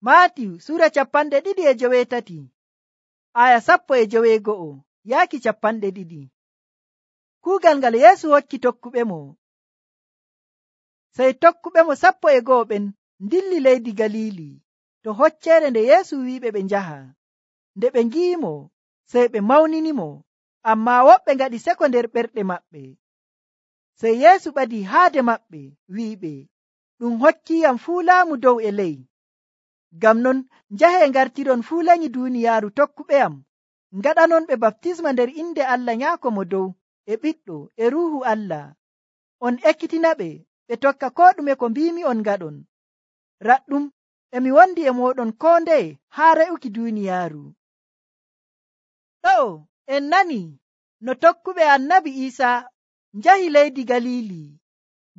Maatiyu sura 2:18 aya 11 yaaki 20. Kuugal ngal Yeesu hokki tokkuɓe mo. Sey tokkuɓe mo 11 ɓen dilli leydi Galili to hocceere nde Yeesu wi'iɓe ɓe njaha. Nde ɓe ngi'imo sey ɓe mawninimo, ammaa woɓɓe ngaɗi seko nder ɓerɗe maɓɓe. Sey Yeesu ɓadii haade maɓɓe wi'iɓe, ɗum hokkiyam fuu laamu dow e ley. Ngam non njahee ngartiron fuu lenyi duuniyaaru tokkuɓe am, ngaɗanonɓe baptisma nder inde Allah Nyaako mo dow e Ɓiɗɗo e Ruuhu Allah. On ekkitinaɓe ɓe tokka koo ɗume ko mbiimi on ngaɗon. Raɗɗum emi wondi e mooɗon koo ndeye haa re'uki duuniyaaru. Ɗo'o en nani no tokkuɓe Annabi Iisaa njahi leydi Galili,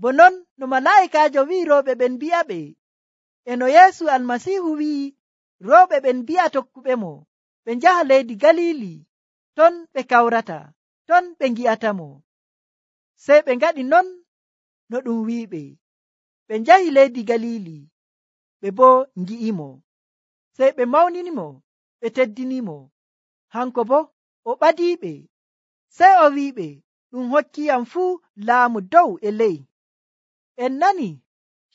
bo non no malaa'ikaajo wi'i rewɓe ɓen mbi'aɓe, e no Yeesu Almasiihu wi'i rewɓe ɓen mbi'a tokkuɓe mo ɓe njaha leydi Galili, ton ɓe kawrata, ton ɓe ngi'atamo. Sey ɓe ngaɗi non no ɗum wi'iɓe. Ɓe njahi leydi Galili, ɓe boo ngi'imo. Sey ɓe mawninimo, ɓe teddinimo. Hanko boo o ɓadiiɓe. Sey o wi'iɓe, ɗum hokkiyam fuu laamu dow e ley. En nani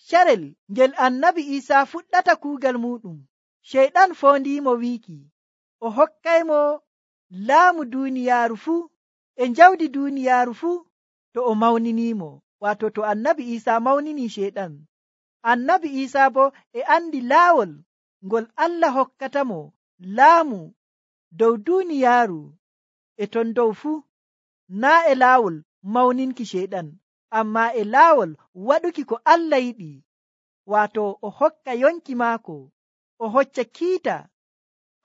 carel ngel Annabi Iisaa fuɗɗata kuugal muɗum, Ceyɗan foondiimo wiiki o hokkaymo laamu duuniyaaru fuu e njawdi duuniyaaru fuu to o mawniniimo, waato to Annabi Iisaa mawninii Ceyɗan. Annabi Iisaa boo e andi laawol ngol Allah hokkatamo laamu dow duuniyaaru e ton dow fuu, naa e laawol mawninki Ceyɗan, ammaa e laawol waɗuki ko Allah yiɗi, waato o hokka yonki maako, o hocca kiita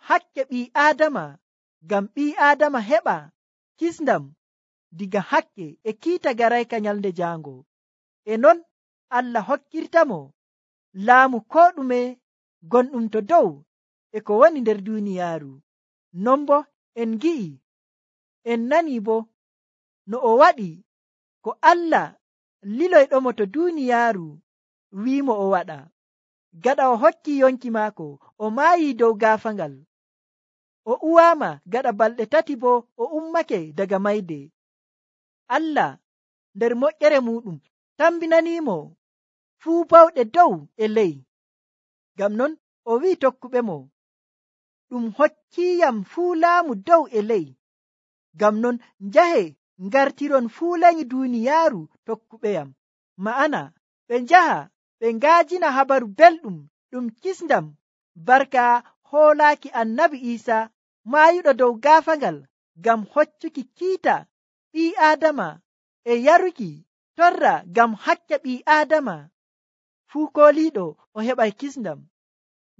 hakke ɓii Aadama ngam ɓii Aadama heɓa kisndam diga hakke e kiita garayka nyalnde jaango. E non Allah hokkirtamo laamu koo ɗume gonɗum to dow e ko woni nder duuniyaaru. Non bo en ngi'i, en nani bo no o waɗi ko Allah liloyɗomo to duuniyaaru wiimo o waɗa. Gaɗa o hokki yonki maako, o maayii dow gaafangal, o uwaama gaɗa balɗe 3 bo o ummake daga mayde. Allah nder moƴƴere muɗum tambinaniimo fuu bawɗe dow e ley. Ngam non o wi'i tokkuɓe mo, ɗum hokkiyam fuu laamu dow e ley. Ngam non njahe ngartiron fuu lenyi duuniyaaru tokkuɓeyam, ma'ana ɓe njaha ɓe ngaajina habaru belɗum ɗum kisndam barka hoolaaki Annabi Iisaa maayuɗo dow gaafangal ngam hoccuki kiita ɓii Aadama e yaruki torra ngam hakke ɓii Aadama. Fuu kooliiɗo o heɓay kisndam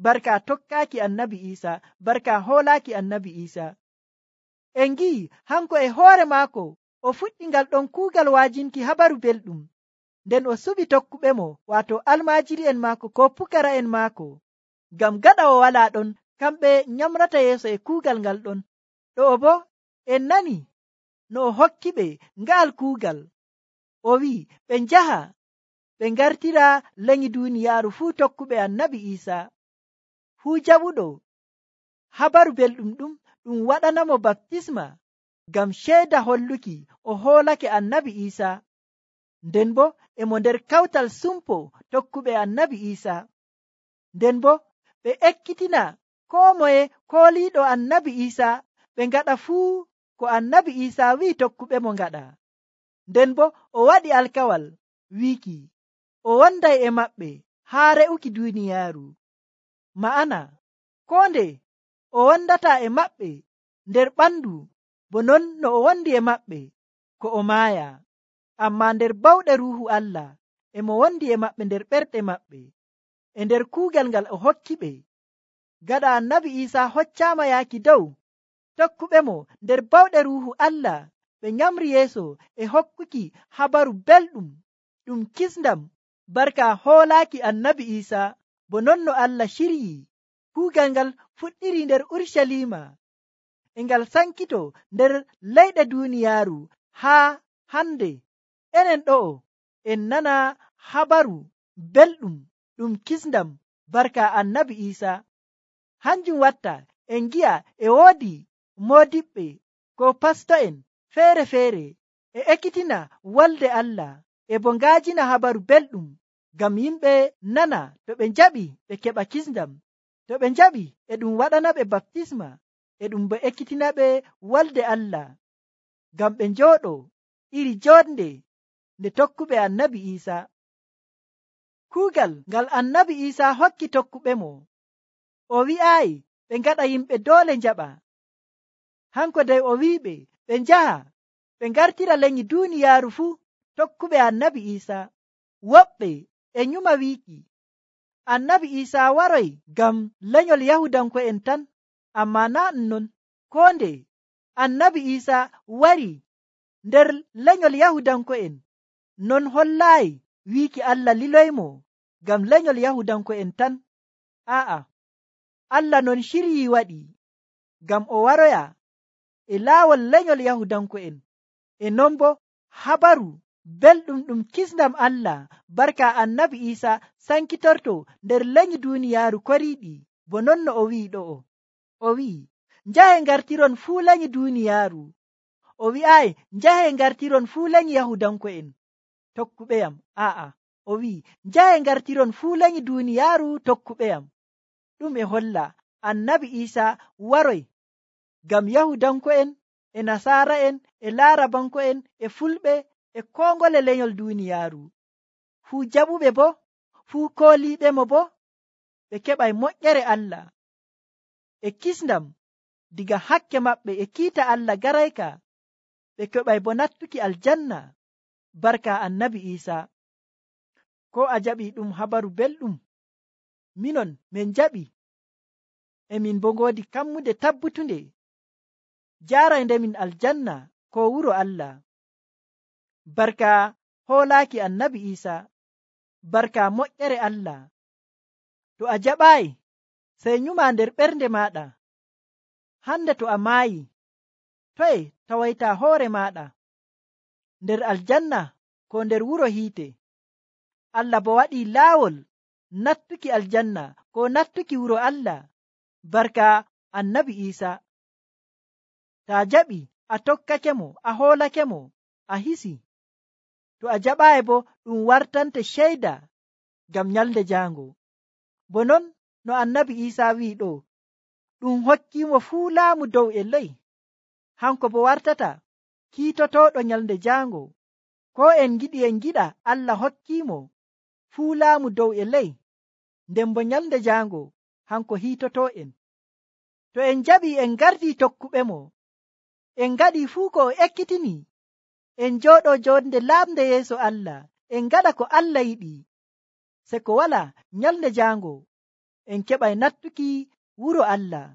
barka tokkaaki Annabi Iisaa, barka hoolaaki Annabi Iisaa. En ngi'i hanko e hoore maako o fuɗɗi ngal ɗon kuugal waajinki habaru belɗum, nden o suɓi tokkuɓe mo, waato almaajiri'en maako ko pukara'en maako, ngam gaɗa o walaa ɗon kamɓe nyamrata yeeso e kuugal ngal ɗon. Ɗo'o bo en nani no o hokki ɓe nga'al kuugal, o wi'i ɓe njaha ɓe ngartira lenyi duuniyaaru fuu tokkuɓe Annabi Iisaa. Fuu jaɓuɗo habaru belɗum ɗum waɗanamo baptisma ngam ceeda holluki o hoolake Annabi Iisaa. Nden bo emo nder kawtal sumpo tokkuɓe Annabi Iisaa. Nden bo ɓe ekkitina koo moye kooliiɗo Annabi Iisaa ɓe ngaɗa fuu ko Annabi Iisaa wi'i tokkuɓe mo ngaɗa. Nden bo o waɗi alkawal wiiki o wonday e maɓɓe haa re'uki duuniyaaru, ma'ana koo nde o wondataa e maɓɓe nder ɓandu bo non no o wondi e maɓɓe ko o maaya, ammaa nder bawɗe Ruuhu Allah emo wondi e maɓɓe nder ɓerɗe maɓɓe e nder kuugal ngal o hokki ɓe. Gaɗa Annabi Iisaa hoccaama yaaki dow, tokkuɓe mo nder bawɗe Ruuhu Allah ɓe nyamri yeeso e hokkuki habaru belɗum ɗum kisndam barka hoolaaki Annabi Iisaa, bo non no Allah ciryi. Kuugal ngal fuɗɗiri nder Urshalima e ngal sankito nder leyɗe duuniyaaru haa hande enen ɗo'o en nana habaru belɗum ɗum kisndam barka annabi Isa. Hanjum watta en gi'a e woodi modiɓɓe ko pasto'en feere-feere e ekkitina wolde Allah e bo ngaajina habaru belɗum ngam yimɓe nana to ɓe njaɓi ɓe keɓa kisndam, to ɓe njaɓi e ɗum waɗana ɓe baptisma, e ɗum bo ekkitina ɓe wolde Allah ngam ɓe njooɗo iri jonde nde tokkuɓe annabi Isa. Kuugal ngal annabi Isa hokki tokkuɓe mo, o wi'aayi ɓe ngaɗa yimɓe doole njaɓa. Hanko dey o wi'iɓe ɓe njaha ɓe ngartira lenyi duuniyaaru fuu tokkuɓe annabi Isa. Woɓɓe e nyuma wiiki annabi Isa waroy ngam lenyol Yahudanko'en tan, amma naa non. Koo nde annabi Isa wari nder lenyol Yahudanko'en, non hollaayi wiiki Allah liloymo ngam lenyol Yahudanko'en tan. Aa'a, Allah non shiryii waɗi ngam o waroya e laawol lenyol Yahudanko'en, e non bo habaru belɗum ɗum kisndam Allah barka annabi Isa sankitorto nder lenyi duuniyaaru koriiɗi, bo non no o wi'i ɗo'o. O wi'i njahe ngartiron fuu lenyi duuniyaaru. O wi'aayi njahe ngartiron fuu lenyi Yahudanko'en tokkuɓeyam. Aa'a, o wi'i njahe ngartiron fuu lenyi duuniyaaru tokkuɓeyam. Ɗum e holla annabi Isa waroy ngam Yahudanko'en e Nasaara'en e Laarabanko'en e Fulɓe e koo ngole lenyol duuniyaaru fuu jaɓuɓe bo, fuu kooliiɓe mo bo ɓe keɓay moƴƴere Allah e kisndam diga hakke maɓɓe e kiita Allah garayka, ɓe keɓay bo nattuki aljanna barka annabi Isa. Ko a jaɓi ɗum habaru belɗum? Minon min jaɓi, e min bo ngoodi kammude tabbutunde jaarayde min aljanna ko wuro Allah barka hoolaaki annabi Isa, barka moƴƴere Allah. To a jaɓaayi sey nyuma nder ɓernde maaɗa, hande to a maayi toye tawayta hoore maaɗa, nder aljanna ko nder wuro hiite? Allah bo waɗii laawol nattuki aljanna ko nattuki wuro Allah barka annabi Isa. Ta jaɓi a tokkake mo, a hoolake mo, a hisi. To a jaɓaayi bo ɗum wartante ceyda ngam nyalde jaango. Bo non no annabi Isa wi'i ɗo, ɗum hokkiimo fuu laamu dow e ley. Hanko bo wartata kiitotooɗo nyalde jaango. Ko en giɗi en giɗa, Allah hokkiimo fuu laamu dow e ley, nden bo nyalde jaango hanko hiitotoo en. To en jaɓi en ngardi tokkuɓe mo, en ngaɗi fuu ko o ekkitini, en njooɗo jonde laamde yeeso Allah, en ngaɗa ko Allah yiɗi, se ko wala nyalde jaango en keɓay nattuki wuro Allah.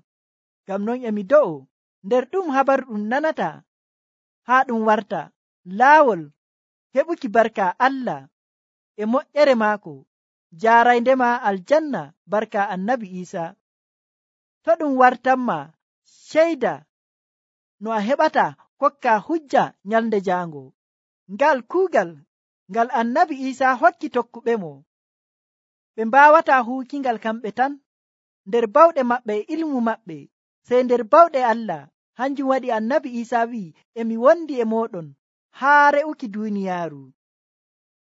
Ngam non emi do'o nder ɗum habaru ɗum nanata haa ɗum warta laawol heɓuki barka Allah e moƴƴere maako, jaarayndema aljanna barka annabi Isa. To ɗum wartanma ceyda no a heɓata kokka hujja nyalde jaango. Ngal kuugal ngal annabi Isa hokki tokkuɓe mo, ɓe mbawata huukingal kamɓe tan nder bawɗe maɓɓe e ilmu maɓɓe, sey nder bawɗe Allah. Hanjum waɗi annabi Isa wi'i emi wondi e moɗon haa re'uki duuniyaaru.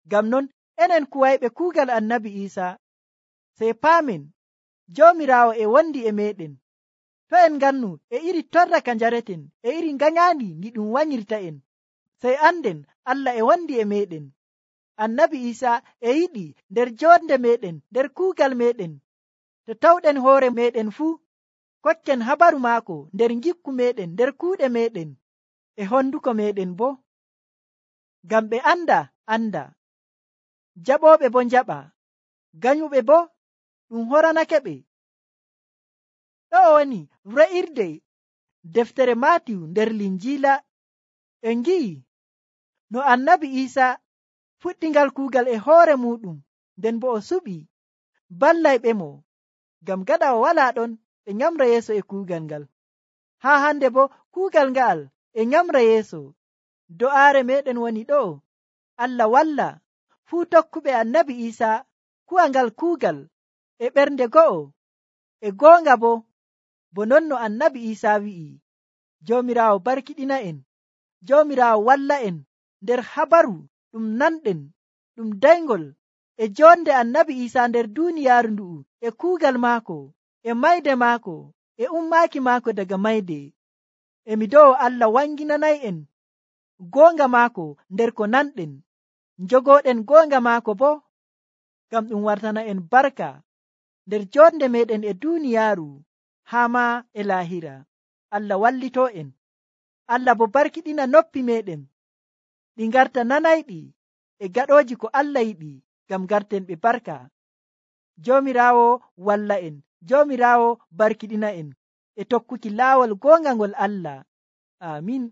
Ngam non enen kuwayɓe kuugal annabi Isa, sey paamen Joomiraawo e wondi e meɗen. To en ngannu e iri torra ka njareten e iri ngañaandi ndi ɗum wanyirta en, sey anden Allah e wondi e meɗen. Annabi Isa e yiɗi nder jonde meɗen, nder kuugal meɗen, to tawɗen hoore meɗen fuu kokken habaru maako nder gikku meɗen, nder kuuɗe meɗen e honduko meɗen bo, ngam ɓe anda, jaɓooɓe bo njaɓa, ganyuɓe bo ɗum horanake ɓe. Ɗo woni re'irde deftere Maatiyu nder Linjiila. En ngi'i no annabi Isa fuɗɗingal kuugal e hoore muɗum, nden bo o suɓi ballayɓe mo, ngam gaɗa o wala ɗon ɓe nyamra yeeso e kuugal ngal. Haa hande bo kuugal ngal e nyamra yeeso. Do'aare meɗen woni ɗo, Allah walla fuu tokkuɓe annabi Isa kuwa ngal kuugal e ɓernde go'o e goonga bo non no annabi Isa wi'i, Joomiraawo barkiɗina en, Joomiraawo walla en nder habaru ɗum nanɗen ɗum daygol e jonde annabi Isa nder duuniyaaru ndu'u e kuugal maako e mayde maako e ummaaki maako daga mayde. Emi do'o Allah wanginanay en goonga maako nder ko nanɗen, njogooɗen goonga maako ngam ɗum wartana en barka nder jonde meɗen e duuniyaaru haa ma e laahira. Allah wallito en. Allah bo barkiɗina noppi meɗen ɗi ngarta nanayɗi e gaɗooji ko Allah yiɗi, ngam garten ɓe barka. Joomiraawo walla en, Joomiraawo barkiɗina en e tokkuki laawol goonga ngol Allah. Amin.